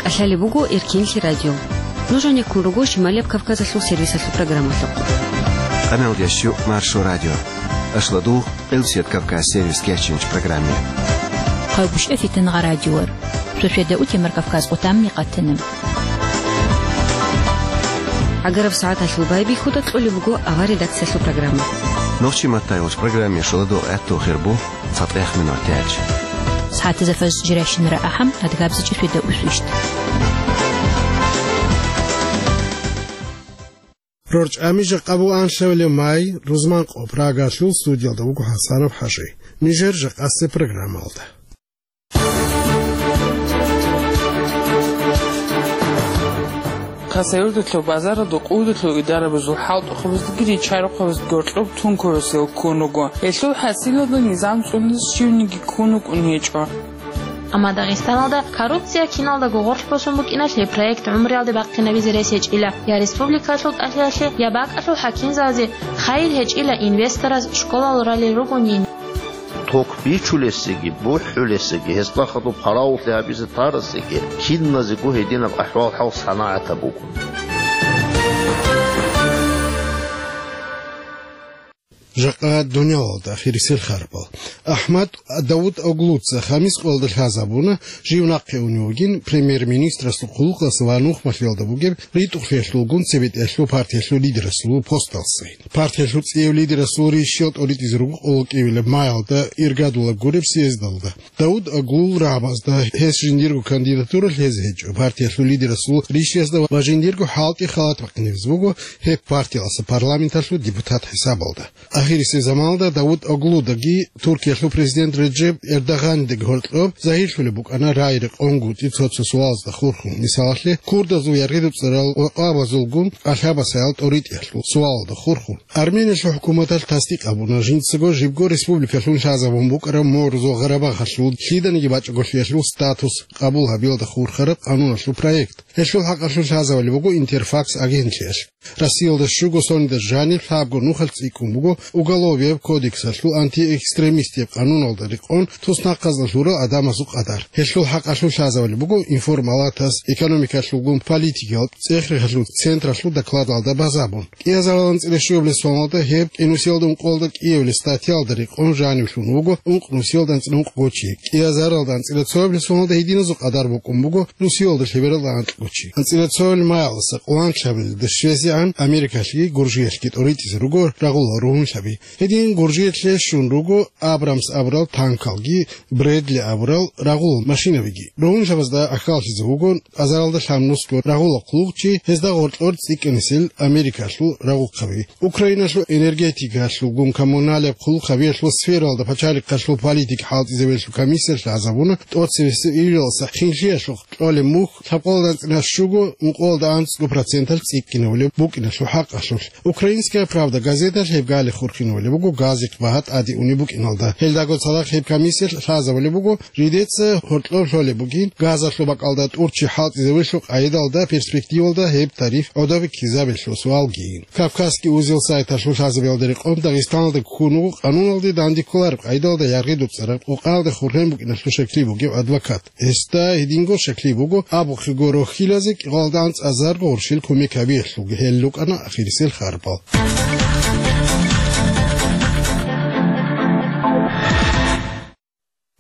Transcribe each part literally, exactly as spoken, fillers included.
КӀалъалеб буго Эркенлъи радио. Нуж гьанеккун руго Шималияб Кавказалъул сервисалъул программалъухъ. Къаналдящу Маршо радио. Ашладугъ Къилсият Кавказ сервис кечинч программе. Хъавбушев Фитангъа радиор. Сосведа утемар Кавказ къутамни къатана. ГӀагараб сагӀаталъул байбихьуда кьолеб буго авар редакциялъул программа. Нохчи маттайгъуш программе шоладугъ гӀатту хирбу цатӀех минутач. СагӀатазда фаз жиращинара ахӀам, адгабзичӀи сосведа усвищ. РорчӀами жакъа буан лъавле май, рузман къо Прагалъул студиялда вуго ХӀасанов ХӀажи. Нижер жакъасеб программалда. Хасавюрталъул базаралда къулдулъул идарабазул хӀалтӀухъабаздаги ричарухъабаздаги гьоркьоб тункуясел ккун руго. Гьелъул хӀасилалда низам цӀунизе щивниги ккун вукӀун гьечӀо. Амма Дагъистаналда коррупция киналдаго гъорлъ босун букӀиналъе проект гӀумруялде бахъинабизе рес гьечӀила я республикалъул тӀалъиялъе, я бакӀалъул хӀакимзабазе хайир гьечӀила инвестораз школал ралел ругонин. Ток бичулесеги, бухӀулесеги, гьесда хадуб хъаравуллъи гьабизе тарасеги, киназего гьединаб ахӀвал-хӀал санагӀатаб буго. Жакъа дунялалда ахирисел харпал. АхӀмад Давутоглуца Хамис къоялда лъазабуна, жив нахъе унев вугин премьер-министрасул хъулухъалъ ва нухмалъиялда бугеб ритӀухълъиялъулгун цебетӀиялъул партиялъул лидерасул посталъ сайин. Партиялъул цӀияб лидерасул рищал тӀоритӀизе руго къоло кӀиабилеб майалда иргадулеб гуреб съездалда. Давутоглу рагӀабазда гьес жиндирго кандидатура лъезе гьечӀо. Партиялъул лидерасул рищасда ва жиндирго хӀалтӀи халат бахъинабизе буго, гьеб партиялъа парламенталъул депутат хӀисабалда. Ахирисеб заманалда Давутоглудаги Туркиялъул президент Реджеп Эрдогъанидаги гьоркьоб загьирлъулеб букӀана рагӀи-рекъонгутӀи цо-цо суалазда хурхун, мисалалъе, курдазул яргъи-дуцӀарал къвакъабазулгун кӀалъабасаял тӀоритӀиялъул суалалда хурхун. Армениялъул хӀукуматалъ тасдикъ гьабуна, жинцаго жибго республикалъун лъазабун букӀараб Морзо-Гъарабагъалъул лъиданиги бачӀаголъиялъул статус къабул гьабиялда хурхараб къануналъул проект. Гьелъул хӀакъалъулъ лъазабулеб буго Интерфакс агентлъиялъ. Россиялда щуго соналда жаниб лъабго нухалъ цӀикӀкӀун буго Уголовияб кодексалъул антиэкстремистияб къануналда рекъон туснахъазда лъурал гӀадамазул къадар. Гьелъул хӀакъалъулъ лъазабулеб буго Информалатас экономикалъулгун политикиял цӀех-рехалъул централъул докладалда базабун. КӀиазарал анцӀила щуабилеб соналда гьеб кӀинусиялда ункъоялда кӀиабилеб статьялда рекъон жанивлъун вуго ункънусиялда анцӀила ункъго чи. КӀиазаралда анцӀила цоабилеб соналда гьединазул къадар букӀун буго нусиялда лъебералда анкьго чи. АнцӀила цоабилеб майалдаса къоло анлъабилелда щвезегӀан Америкалъги Гуржиялъги тӀоритӀизе руго рагъула ругьунлъаби. Гьедин Гуржиялъе щун руго Абрамс абурал танкалги, Бредли абурал рагъул машинабиги. Ругьунлъабазда гӀахьаллъизе вуго азаралда лъабнусго рагъула хъулухъчи, гьезда гъоркьор цӀикӀкӀинисел Америкалъул рагъухъаби. Украиналъул энергетикалъулгун коммуналияб хъулухъабиялъул сфералда пачалихъалъул политика хӀалтӀизабиялъул комиссиялъ лъазабуна тӀоцебесеб июлалдаса хинлъиялъухъ кьолеб мухь лъабкъоялда анцӀила щуго ункъоялда анцӀго проценталъ цӀикӀкӀинабулеб букӀиналъул хӀакъалъулъ. Украинская правда газеталъ гьеб гали хурхинабулеб буго газихъ багьа тӀаде унеб букӀиналда. Гьелдаго цадахъ гьеб комиссиялъ лъазабулеб буго, жидеца гьоркьоб лъолеб бугин газалъул бакӀалда тӀурччи хӀалтӀизабиялъул къайдалда перспективалда гьеб тариф гӀодобе ккезабиялъул суалги. Кавказский узел сайталъул лъазабиялда рекъон Дагъистаналда ккун вуго къануналде дандекколареб къайдалда яргъи-дуцӀараб къокъаялда хурхен букӀиналъул щаклъи бугев адвокат. Гьесда гьединго щаклъи буго, абухъего рохьилазе кӀикъоялда анцӀазарго гъурщил кумек гьабиялъулги гьел рукӀана ахирисел харпал.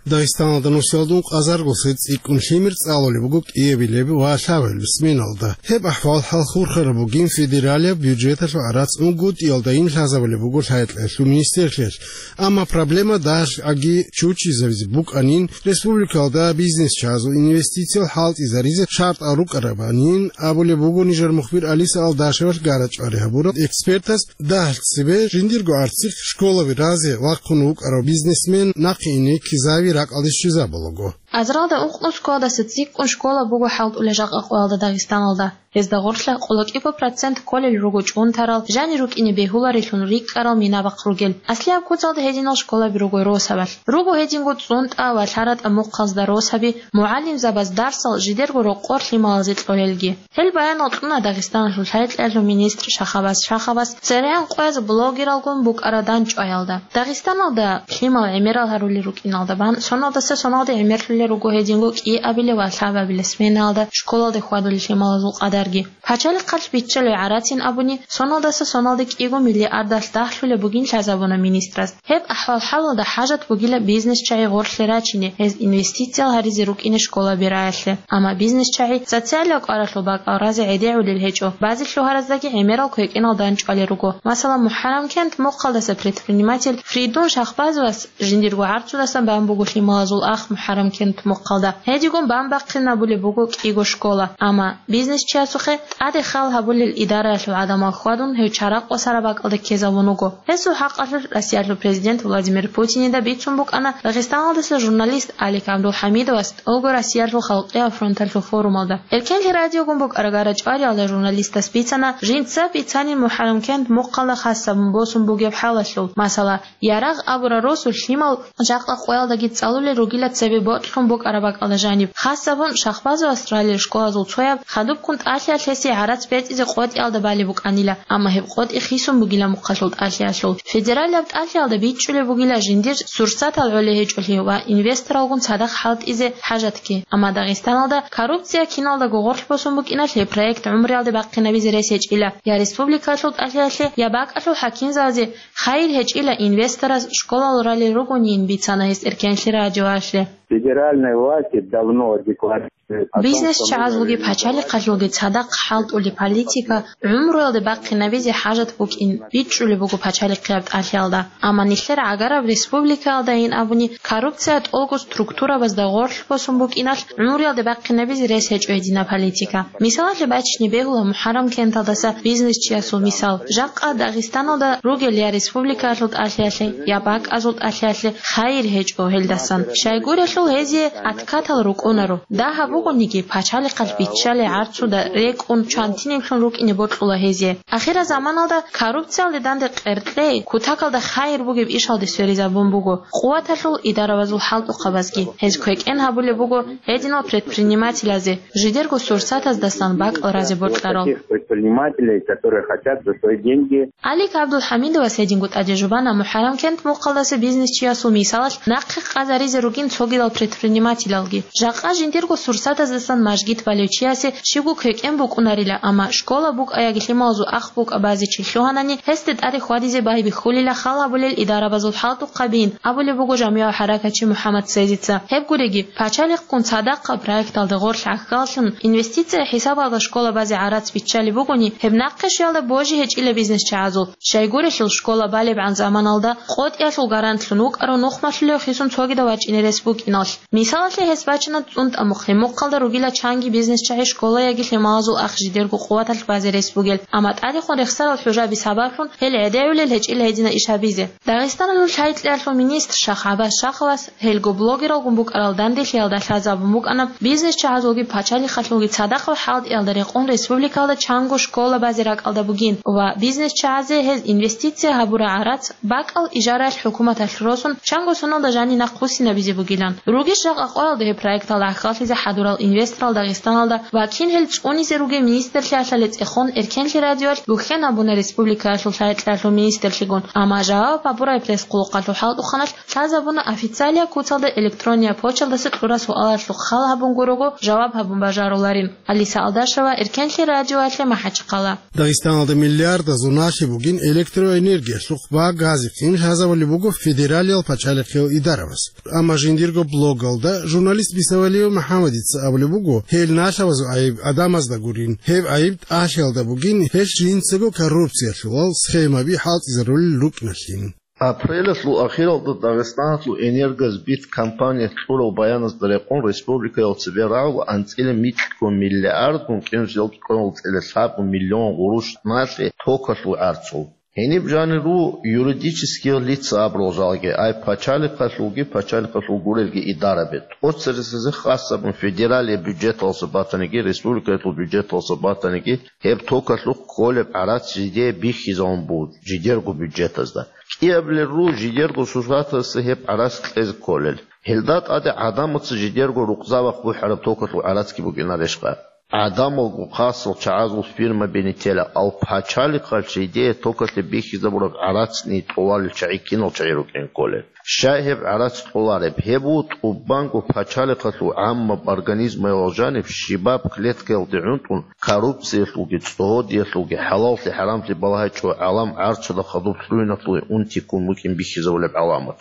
Дагъистаналда нусиялда ункъазарго сет цӀикӀкӀун лъимер цӀалулеб буго кӀиабилеб ва лъабабилеб сменалда. Гьеб ахӀвал-хӀал хурхараб бугин федералияб бюджеталъул гӀарац унгутӀиялдайин лъазабулеб буго лъай-кьеялъул министрлъиялъ. Амма проблема дагьалъги чучизабизе букӀанин, республикалда бизнес чагӀазул инвестициял хӀалтӀизаризе шартӀал рукӀарабанин абулеб буго нижер мухбир Алиса Алдашевалъ гара-чӀвари гьабурал экспертас. Дагьалъ цебе жиндирго арцихъ школаби разе вахъун вукӀарав бизнесмен нахъе ине ккезави ракӀалде щвезабулаго. Азаралда ункънусгоялдаса цӀикӀкӀун школа буго хӀалтӀулел жакъа къоялда Дагъистаналда. Гьезда гъорлъа къоло кӀиго процент кколел руго чӀунтарал, жанир рукӀине бегьуларелъун рикӀкӀарал минабахъ ругел. Аслияб куцалда гьединал школаби руго росабалъ. Руго гьединго цӀунтӀа ва лъаратӀа мухъазда росаби, мугӀалимзабаз дарсал жидерго рокъор лъималазе кьолелги. Гьел баянал кьуна Дагъистаналъул лъай-кьеялъул министр Шахабаз Шахабас церегӀан къояз блогералгун букӀараб дандчӀваялда. Дагъистаналда лъимал гӀемерал гьарулел рукӀиналда бан соналдаса соналде гӀемерлъулел руго гьединго кӀиабилеб ва лъабабилеб сменаялда школалде хьвадулел лъималазул къадарги. Пачалихъалъ биччалей гӀарацин абуни, соналдаса соналде кӀиго миллиардалъ дагьлъулеб бугин лъазабуна министрас. Гьеб ахӀвал-хӀалалда хӀажат бугила бизнесчагӀи гъорлъе рачине, гьез инвестициял гьаризе рукӀине школаби раялъе. Амма бизнесчагӀи социалияб кӀваралъул бакӀал разе гӀедегӀулел гьечӀо, базе лъугьараздаги гӀемерал квекӀенал данчӀвалел руго. Масала, МухӀаррамкент мухъалдаса предприниматель Фридун Шахбазовас жиндирго гӀарцудасан бан буго лъималазул ах МухӀаррамкент мухъалда. Гьедигун бан бахъинабулеб буго кӀиго школа. Амма бизнесчиясухъе тӀаде хал гьабулел идараялъул гӀадамал хьвадун, гьев чарахъ васараб бакӀалде ккезабун вуго. Гьесул хӀакъалъулъ Россиялъул президент Владимир Путинида бицун букӀана Дагъистаналдаса журналист Алик ГӀабдулхӀамидовас тӀолго Россиялъул халкъиял фронталъул форумалда. Эркенлъи радиогун букӀарагара чӀвариялда журналистас бицана жинца бицанин МухӀаррамкент мухъалда хасабун босун бугеб хӀалалъул. Масала, Ярагъ абурал росулъ лъимал жакъа къоялдаги цӀалулел ругила цебе бокьун букӀараб бакӀалда жаниб. Хасабун Шахбазовас ралел школазул цояб хадубккун тӀалъиялъ гьесие гӀарац бецӀизе къотӀиялда балеб букӀанила, амма гьеб къотӀи хисун бугила мухъалъул тӀалъиялъул. Федералияб тӀалъиялда бичӀчӀулеб бугила жиндир сурсатал гӀолей гьечӀолъи ва инвесторалгун цадахъ хӀалтӀизе хӀажатги. Амма Дагъистаналда коррупция киналдаго гъорлъ босун букӀиналъ гьеб проект гӀумруялде бахъинабизе рес гьечӀила я республикалъул тӀалъиялъе, я бакӀалъул хӀакимзабазе. Хайир гьечӀила инвесторас школал ралел ругонин, бицана гьес Эркенлъи радиоялъе. Федеральные власти давно декларировали о том, что нужно Бизнес чагӀазулги пачалихъалъулги цадахъ хӀалтӀулеб политика гӀумруялде бахъинабизе хӀажат букӀин бичӀчӀулеб буго пачалихъияб тӀалъиялда. Амма нилъер гӀагараб республикаялдайин абуни, коррупция тӀолго структурабазда гъорлъ босун букӀиналъ гӀумруялде бахъинабизе рес гьечӀо гьединаб политика. Мисалалъе бачине бегьула МухӀаррамкенталдаса бизнесчиясул мисал. Жакъа Дагъистаналда ругел я республикаялъул тӀалъиялъе, я бакӀазул тӀалъиялъе хайир гьечӀо гьелдасан. Щайгурелъул гьезие откатал рукӀунаро. Дагьаб бугониги, пачалихъалъ биччалей гӀарцуда рекӀун чвантинеблъун рукӀине бокьула гьезие. Ахирзаманалда коррупциялде данде къеркьей, кутакалда хайир бугеб ишалде сверизабун буго къуваталъул идарабазул хӀалтӀухъабазги. Гьез квекӀен гьабулеб буго гьединал предпринимателазе, жидерго сурсатаздасан бакӀал разе бокьарал. Таких предпринимателей, которые хотят за свои деньги. Алик ГӀабдулхӀамидовас гьединго тӀаде жубана МухӀаррамкент мухъалдаса бизнесчиясул мисалалъ нахъе къазаризе ругин цогидал предпринимателалги. Жакъа жиндирго сурсатаздасан мажгит балев чиясе щибго квекӀен букӀунарила, амма школа букӀа яги лъималазул ах букӀа базе чи лъугьанани, гьесде тӀаде хьвадизе байбихьулила хал гьабулел идарабазул хӀалтӀухъабин, абулеб буго жамигӀав хӀаракатчи МухӀаммад Цезица. Гьеб гуриги, пачалихъгун цадахъа проекталда гъорлъ гӀахьаллъун, инвестиция хӀисабалда школа базе гӀарац биччалеб бугони, гьеб нахъе щвелда божи гьечӀила бизнесчагӀазул. Щайгурелъул школа балебгӀан заманалда къотӀиялъул гарантлъун вукӀарав нухмалъулев хисун цогидав вачӀине рес букӀиналъ. Мисалалъе гьес бачана ЦӀунтӀа мухъ, гьеб мухъалда ругила чанги бизнесчагӀи школа яги лъималазул ах жидерго къуваталъ базе рес бугел, амма тӀадехун рехсарал хӀужаби сабаблъун гьел гӀедегӀулел гьечӀила гьедина иш гьабизе. Дагъистаналъул лъай-кьеялъул министр Шах ГӀаббас Шаховас гьелго блогералгун букӀарал данделъиялда лъазабун букӀана бизнесчагӀазулги пачалихъалъулги цадахъал хӀалтӀиялда рекъон республикалда чанго школа базе ракӀалда бугин ва бизнесчагӀазе гьез инвестиция гьабураб гӀарац бакӀал ижараялъ хӀукуматалъ росун, чанго соналда жаниб нахъвуссинабизе бугилан. Ругищ жакъа къоялда гьеб проекталда гӀахьаллъизе хӀадурал инвесторал Дагъистаналда ва кин гьел цӀунизе ругел министрлъиялъа лецӀехун Эркенлъи радиоялъ гухӀен абуна республикаялъул лъай-кьеялъул министрлъигун, амма жаваб гьабурай пресс-къулухъалъул хӀалтӀухъаналъ лъазабуна официалия куцалда электрония почталдаса кьурал суалалъухъ хал гьабун гурого жаваб гьабун бажаруларин. Алиса Алдашева, Эркенлъи радиоялъе МахӀачхъала. Дагъистаналда миллиардазул налъи бугин электроэнергиялъухъ ва газихъин лъазабулеб буго федералиял пачалихъиял идараваз. Амма жиндирго блогалда журналист Бисавалиев МухӀаммадица абулеб буго, гьел налъабазул гӀайиб гӀадамазда гурин, гьеб гӀайиб тӀалъиялда бугин, гьелъ жинцаго коррупциялъулал схемаби хӀалтӀизарулел рукӀиналъин. Апрелалъул ахиралда Дагъистаналъул «Энергосбыт» компания кьурал баяназда рекъон, республикаялда цебе рагӀула анцӀила микьго миллиардгун кӀинусиялда кӀванал цӀила лъабго миллион гъурущ налъи токалъул гӀарцул. Гьениб жанир руго юридические лица абурал жалги, ай пачалихъалъулги, пачалихъалъул гурелги идараби. ТӀоцересезе хасабун федералияб бюджеталъа батаниги, республикаялъул бюджеталъа батаниги, гьеб токалъухъ кколеб гӀарац жидее бихьизабун буго жидерго бюджетазда. КӀиабилел руго жидерго сурсатаздаса гьеб гӀарац кьезе кколел. Гьелда тӀаде гӀадамаца жидерго рукъзабахъ бухӀараб токалъул гӀарацги букӀинарищха? гӀадамалго хасал чагӀазул фирмаби нилъела, ал пачалихъалъ жидее токалъе бихьизабураб гӀарац нилъ кьоларел чагӀи кинал чагӀи рукӀин кколел. Щай гьеб гӀарац кьолареб? Гьеб буго тӀубанго пачалихъалъул гӀаммаб организмаялъ жаниб щибаб клеткаялде гӀунтӀун, коррупциялъулги, цӀогьодиялъулги, хӀалаллъи-хӀарамлъи балагьичӀо гӀалам гӀарцуда хадуб лъугьиналъуе унти ккун букӀин бихьизабулеб гӀаламат.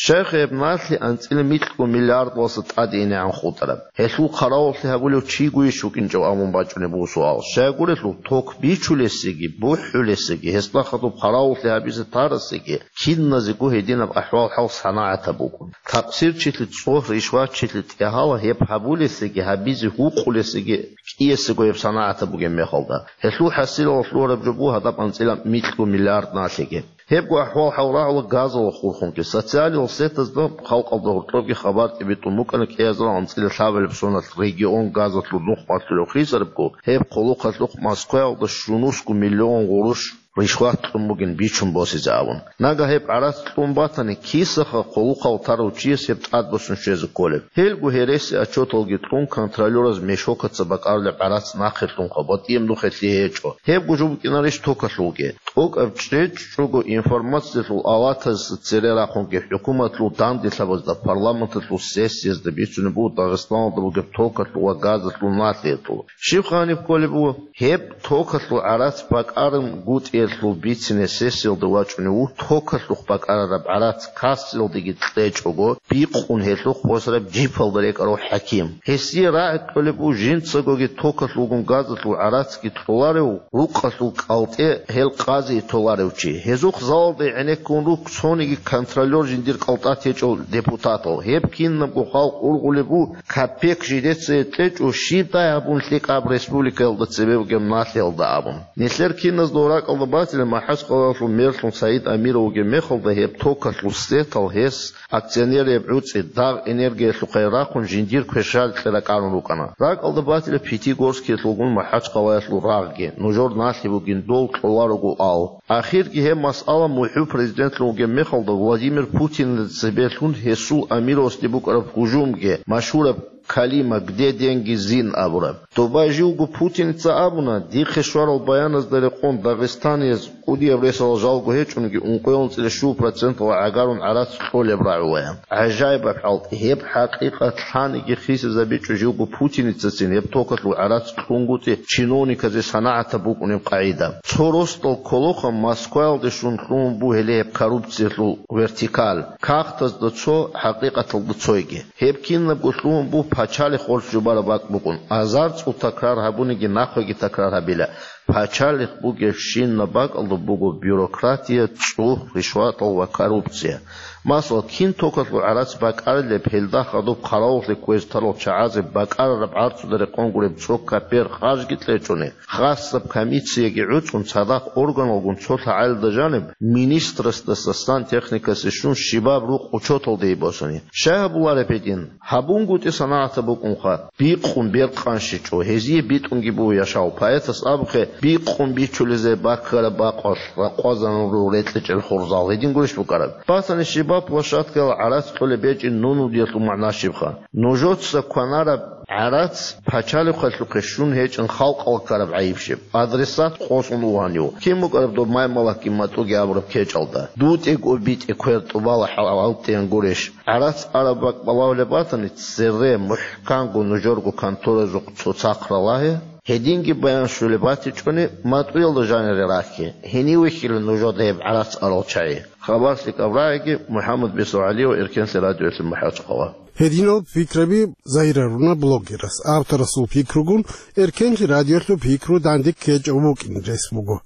Щайха гьеб налъи анцӀила микьго миллиардалъа тӀаде инегӀан хутӀараб? Гьелъул хъаравуллъи гьабулев чигойищ вукӀинчӀев абун бачӀунеб буго суал. Щайгурелъул ток бичулесеги, бухӀулесеги, гьесда хадуб хъаравуллъи гьабизе тарасеги, киназего гьединаб ахӀвал-хӀал санагӀатаб букӀун. Такъсирчилъи цӀогь, ришватчилъи тӀегьала гьеб гьабулесеги, гьабизе гьукъулесеги кӀиясего гьеб санагӀатаб бугеб мехалда. Гьелъул хӀасилалъ лъугьараб жо буго гьадаб анцӀила микьго миллиард налъиги. Гьебго ахӀвал-хӀал рагӀула газалда хурхунги. Социалил сетазда халкъалда гьоркьобги хабар тӀибитӀун букӀана кӀиазарал анцӀила лъабабилеб соналъ регион газалъул нух малъулев хисарабго, гьеб хъулухъалъухъ Москваялда щунусго миллион гъурущ ришват кьун бугин бичун босизе абун. Нагагь гьеб гӀарац кьун батани, кисаха хъулухъал тарав чияс гьеб тӀадбуссун щвезе кколеб? Гьелго гьереси отчеталги кьун, контролёраз мешокаца бакӀарулеб гӀарац нахъе лъунха, батӀияб нухалъ гьечӀо. Гьебго жо букӀинарищ токалъулги? ТӀокӀаб чӀечӀого информациялъул аватазда цере рахъунги хӀукуматалъул данделъабазда, парламенталъул сессиязда бицунеб буго Дагъистаналда бугеб токалъул ва газалъул налъиялъул. Щибха гьаниб кколеб буго? Гьеб токалъул гӀарац бакӀарабгутӀиялъул бицине сессиялда вачӀунев вуго токалъухъ бакӀарараб гӀарац кассаялдеги кьечӀого, бикъун гьелъухъ босараб джипалда рекӀарав хӀаким. Гьесие рагӀи кьолеб буго жинцагоги токалъулгун газалъул гӀарацги кьоларев, рукъалъул кӀалтӀе гьел къазие толарев чи. Гьезухъ залалда гӀенеккун руго цониги контролёр жиндир кӀалтӀа течӀев депутатал. Гьеб кинабго халкъ ургъулеб буго, капек жидецайе кьечӀо, щибдай гьабун лъикӀаб республикаялда цебе бугеб налъиялда абун. Нилъер киназда ракӀалда батила МахӀачкъалаялъул мэрлъун Саид Амиров вугеб мехалда гьеб токалъул сетал гьес акционерияв гӀуцӀи, дагъ энергиялъухъе рахъун жиндир квешал кье ракӀарун рукӀана. РакӀалда батила Пятигорскиялъулгун МахӀачкъалаялъул рагъги, нужер налъи бугин дол кьоларого ал. Ахирги гьеб масъала мухӀу президентлъун вугеб мехалда Владимир Путинил цебе лъун гьесул Амировасде букӀараб гьужумги, машгьураб калима «Где деньги, Зин?» абураб. Доба живго путиница абуна, дихъе щварал баяназда рекъон дагъистанияз кӀудияб ресалал жалго гьечӀунги ункъоялда цӀила щуго проценталда гӀагарун гӀарац кьолеб рагӀулаян. ГӀажаибаб хӀалтӀи, гьеб хӀакъикъат лъаниги хисизабичӀо живго путиницацин гьеб токалъул гӀарац кьунгутӀи чиновниказе санагӀатаб букӀунеб къагӀида. Цо росдал кколоха Москваялде щун лъугьун бугеле гьеб коррупциялъул вертикаль, кагътазда цо, хӀакъикъаталда цойги. Гьеб кинабго лъугьун буго пачалихъ гъорлъ жубараб бакӀ букӀун. Азар цӀул такрар гьабуниги нахъеги такрар гьабила. Пачалихъ бугебщинаб бакӀалда буго бюрократия, цӀугь, ришватал ва коррупция. Масала, кин токалъул гӀарац бакӀарилеб, гьелда хадуб хъаравуллъи кквезе тарал чагӀазе бакӀарараб гӀарцуда рекъон гуреб цо капер харжги кьечӀони, хасаб комиссияги гӀуцӀун, цадахъ органалгун цо лъагӀалида жаниб, министрасдаса сантехникасе щун щибаб рукъ учеталде босани. Щай гьабулареб гьедин? ГьабунгутӀи санагӀатаб букӀунха, бикъун беркъанщичӀо, гьезие битӀунги буго яшав. Поэтас абухъе, бикъун бичулезе баккараб бакъалъ ракъвазарун руго рекьичӀел хурзал. Гьедин гурищ букӀараб? Батани щибаб площадкаялда гӀарац кьолеб гьечӀин нунудиялъул магӀна щибха? Нужеца кванараб гӀарац пачалихъалъухъе щун гьечӀин халкъалъ ккараб гӀайиб щиб? Адресат къосун вугьанив? Кин букӀараб доб маймалакги матӀуги абураб кечӀалда? ДутӀего битӀе квер тӀубала хӀал-, хӀалтӀен гурищ? ГӀарац араб бакӀ балагьулеб батани, цере мухӀканго нужерго конторазухъ цоцахъ ралагье, гьединги баян щолеб батичӀони, матӀуялда жанире рахье, гьенив вихьила нужеда гьеб гӀарац арал чагӀи. Хабар лъикӀаб рагӀиги, МухӀаммад Бесо ГӀалиев, Эркенлъи радиоялъе МахӀачкъала. Гьединал пикраби загьируна блогерас. Авторасул пикругун Эркенлъи радиоялъул пикру данде ккечӀев вукӀин рес буго.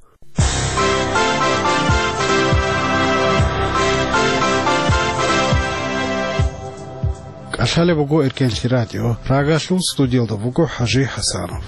КӀалъалеб буго Эркенлъи радио. Рагалъул студиялда вуго ХӀажи ХӀасанов.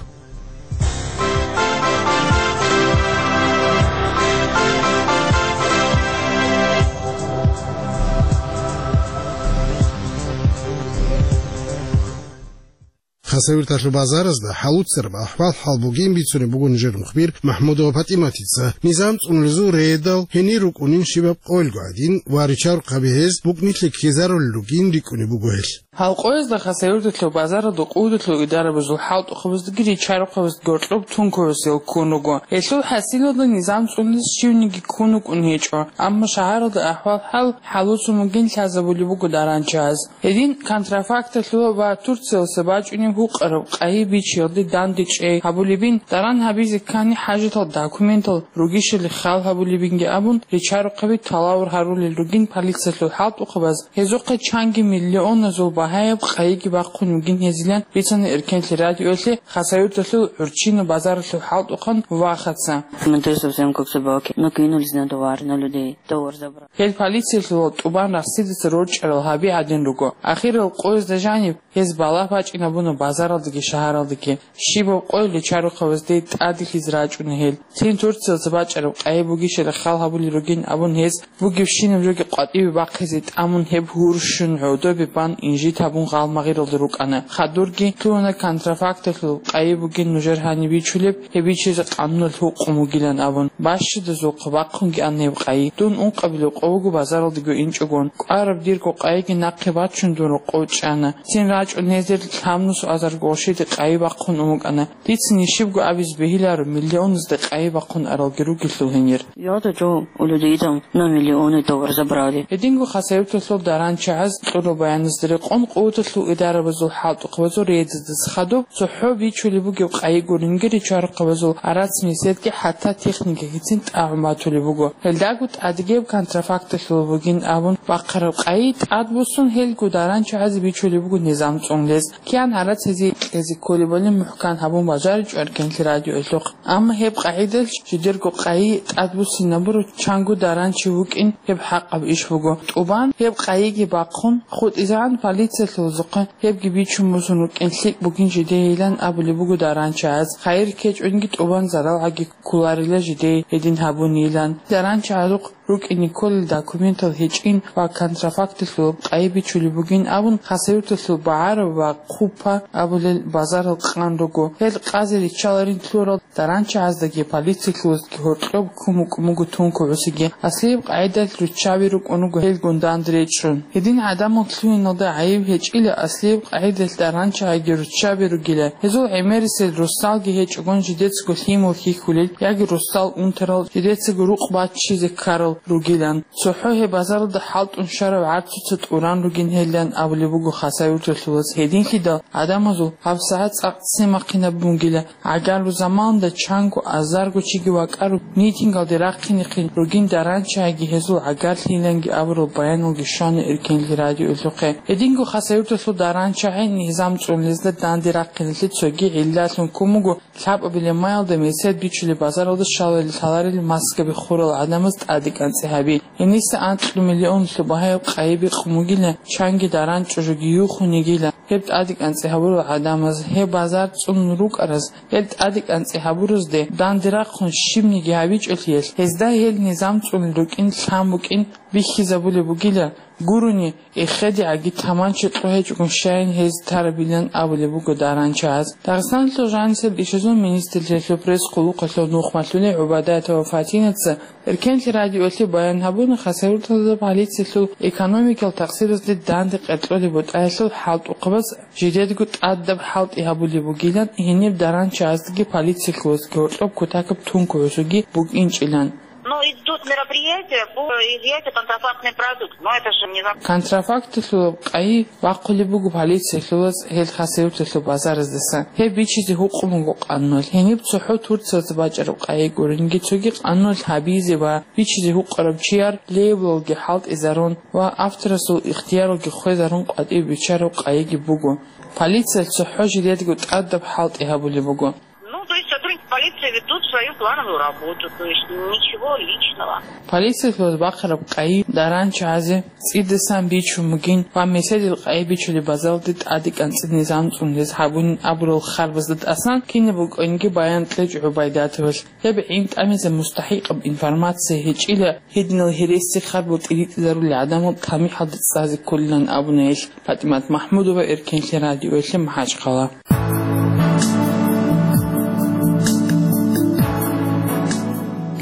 Хасавюрталъул базаразда хӀалуцараб ахӀвал-хӀал бугин бицунеб буго нижер мухбир МахӀмудова ПатӀиматица. Низам цӀунулезул рейдал гьенир рукӀунин щибаб къойилго гӀадин ва ричарухъаби гьез букӀнилъи ккезарулел ругин рикӀкӀунеб буго гьелъ. Гьал къоязда Хасавюрталъул базаралда къуваталъул идарабазул хӀалтӀухъабаздаги ричарухъабаздаги гьоркьоб тункугӀусиял ккун руго. Гьелъул хӀасилалда низам цӀунизе щивниги ккун вукӀун гьечӀо, амма шагьаралда ахӀвал-хӀал хӀалуцун бугин лъазабулеб буго даранчагьаз. Гьедин контрафакталъула ва Турциялъа бачӀунеб гьукъараб къайи бичиялде дандечӀей гьабулебин, даран гьабизе ккани хӀажатал документал ругищали хал гьабулебинги абун, ричарухъаби талавар гьарулел ругин полициялъул хӀалтӀухъабаз, гьезухъе чанги миллионазул багьаяб къайиги бахъун вугин гьезилан бицана Эркенлъи радиоялъе Хасавюрталъул гӀурччина базаралъул хӀалтӀухъан Вахаца. Мы тоже совсем как собаки. Накинулись на товар, на людей. Товар забрали. Гьел полициялъул тӀубан рахсидаса рорчӀарал гьаби гӀадин руго. Ахирал къоязда жаниб гьез балагь бачӀинабуна базаралдаги шагьаралдаги. Щибаб къойил ричарухъабазде тӀаделъизе рачӀуна гьел. Цин Турциялъа бачӀараб къайи бугищали хал гьабулел ругин абун гьез бугебщинаб жоги къватӀибе бахъизе тӀамун гьеб гьурщун гӀодобе бан инжит гьабун гъалмагъиралда рукӀана. Хадурги лъугьана контрафакталъул къайи бугин нужер гьаниб бичулеб, гьеб бичизе къануналъ гьукъун бугилан абун. Бащадазухъа бахъунги ана гьеб къайи. Дун ункъабилеб къо буго базаралдаго инчӀогон. КӀвараб дирго къайиги нахъе бачун дун рокъов чӀана. Цин рачӀун гьезде лъабнусу азарго гъошиде къайи бахъун ун букӀана. Дица нижибго абизе бегьиларо, миллионазда къайи бахъун аралги ругелъул гьенир. Я-то чё, у людей там на миллионы товар забрали. Гьединго Хасавюрталъул даранчагьаз кьураб баяназда рекъон къуваталъул идарабазул хӀалтӀухъабазул рейдазда хадуб цохӀо бичулеб бугеб къайи гуринги ричарухъабазул арац-меседги хӀатта техникагицин тӀагӀун батулеб буго. Гьелдаго тӀадегиб контрафакталъул бугин абун бахъараб къайи тӀадбуссун гьелго даранчагьазе бичулеб буго низам цӀунулез. Киян гьарац гьезие кьезе кколебали мухӀкан гьабун бажаричӀо Эркенлъи радиоялъухъ. Амма гьеб къагӀидалъ жидерго къайи тӀадбуссинабура чанго даранчи вукӀин гьеб хӀакъаб иш буго. ТӀубан гьеб къайиги бахъун хутӀизегӀан полициялъулазухъе гьебги бичун босун рукӀин лъикӀ бугин жидейилан абулеб буго даранчагьаз. Хайир ккечӀонги тӀубан заралгӀаги кколарила жидей гьедин гьабунилан. Даранчагьазухъ рукӀине кколел документал гьечӀин ва контрафакталъулаб къайи бичулеб бугин абун, Хасавюрталъул БагӀараб ва Хъупа абулел базарал къан руго. Гьел къазе риччаларин лъурал даранчагьаздаги полициялъулаздаги гьоркьоб ккун букӀун буго тункугӀусиги. Аслияб къагӀидалъ руччаби рукӀун руго гьелгун данде речӀчӀун. Гьедин гӀадамал лъугьиналда гӀайиб гьечӀила, аслияб къагӀидалъ даранчагьаги руччаби ругила. Гьезул гӀемерисел росдалги гьечӀогон жидецаго лъимал хьихьулел яги росдал унтарал жидецаго рукъ баччизе ккарал ругилан. ЦохӀо гьеб базаралда хӀалтӀун щварав гӀарцуца тӀуран ругин гьелилан абулеб буго Хасавюрталъулаз. Гьединлъидал гӀадамазул гьабсагӀат цӀакъ цемахъинаб бугила. ГӀагарлу заманда чанго азарго чиги вакӀару митингалде рахъинехъин ругин даранчагьаги гьезул гӀагарлъиланги абурал баяналги щвана Эркенлъи радиоялъухъе. Гьединго Хасавюрталъул даранчагьи низам цӀунулезда данде рахъиналъе цоги гӀиллалъун ккун буго лъабабилеб маялда месед бичулеб базаралда щаларел-лъаларел маскаби хурал гӀадамаз тӀадекӀанцӀи гьаби. Гьениса анкьлу миллионлъу багьаяб къайи бикъун бугила, чанги даранчӀо жоги юхун йигила. Гьеб тӀадекӀанцӀи гьабурал гӀадамаз, гьеб базар цӀунун рукӀараз, гьел тӀадекӀанцӀи гьабуразде данде рахъун щибниги гьабичӀолъиялъ, гьезда гьел низам цӀунулел рукӀин лъан букӀин бихьизабулеб бугила, гурони, эхедигӀаги таманчи кьухӀечӀого щайин гьез тарабилан абулеб буго даранчагьаз. Дагъистаналъул жанисел ишазул министрлъиялъул пресс-къулухъалъул нухмалъулей ГӀубайдатова Фатинаца Эркенлъи радиоялъе баян гьабуна, Хасавюрталда полициялъул экономикал такъсиразде данде къеркьолеб бутӀаялъул хӀалтӀухъабаз жидедго тӀадаб хӀалтӀи гьабулеб бугилан, гьениб даранчагьаздаги полициялъулаздаги гьоркьоб кутакаб тункугӀусиги букӀинчӀилан. Но идут мероприятия по изъятию контрафактный продукт. Но это же не зак- Контрафакталъулаб къайи бахъулеб буго полициялъулаз гьел Хасавюрталъул базараздаса. Гьеб бичизе гьукъун буго къануналъ. Гьениб цохӀо Турциялда бачӀараб къайи гуринги цоги къануналъ гьабизе ва бичизе гьукъараб чияр лейблалги хӀалтӀизарун ва авторасул ихтияралги хвезарун къватӀибе биччараб къайиги буго. Полициялъ цохӀо жидедго тӀадаб хӀалтӀи гьабулеб буго. Ну, то есть сотрудники полиции ведут свою плановую работу, то есть ничего личного. Полициялъулаз бахъараб къайи даранчагьазе цӀидасан бичун бугин ва меседил къайи бичулеб базаралде тӀадекӀанцӀи низам цӀунулез гьабунин абурал харбазда тӀасан кинаб букӀинги баян кьечӀо ГӀубайдатовалъ. Гьеб гӀин тӀамизе мустахӀикъаб информация гьечӀила, гьединал гьереси харбал тӀиритӀизарулел гӀадамал тамихӀалде цӀазе кколилан абуна гьелъ. ПатӀимат МахӀмудова, Эркенлъи радиоялъе, МахӀачхъала.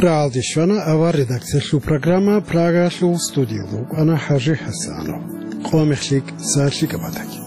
Рагьалде щвана авар редакциялъул программа, Прагалъул студиялда вукӀана ХӀажи ХӀасанов. Къо мехлъи, сахлъи кӀабатаги.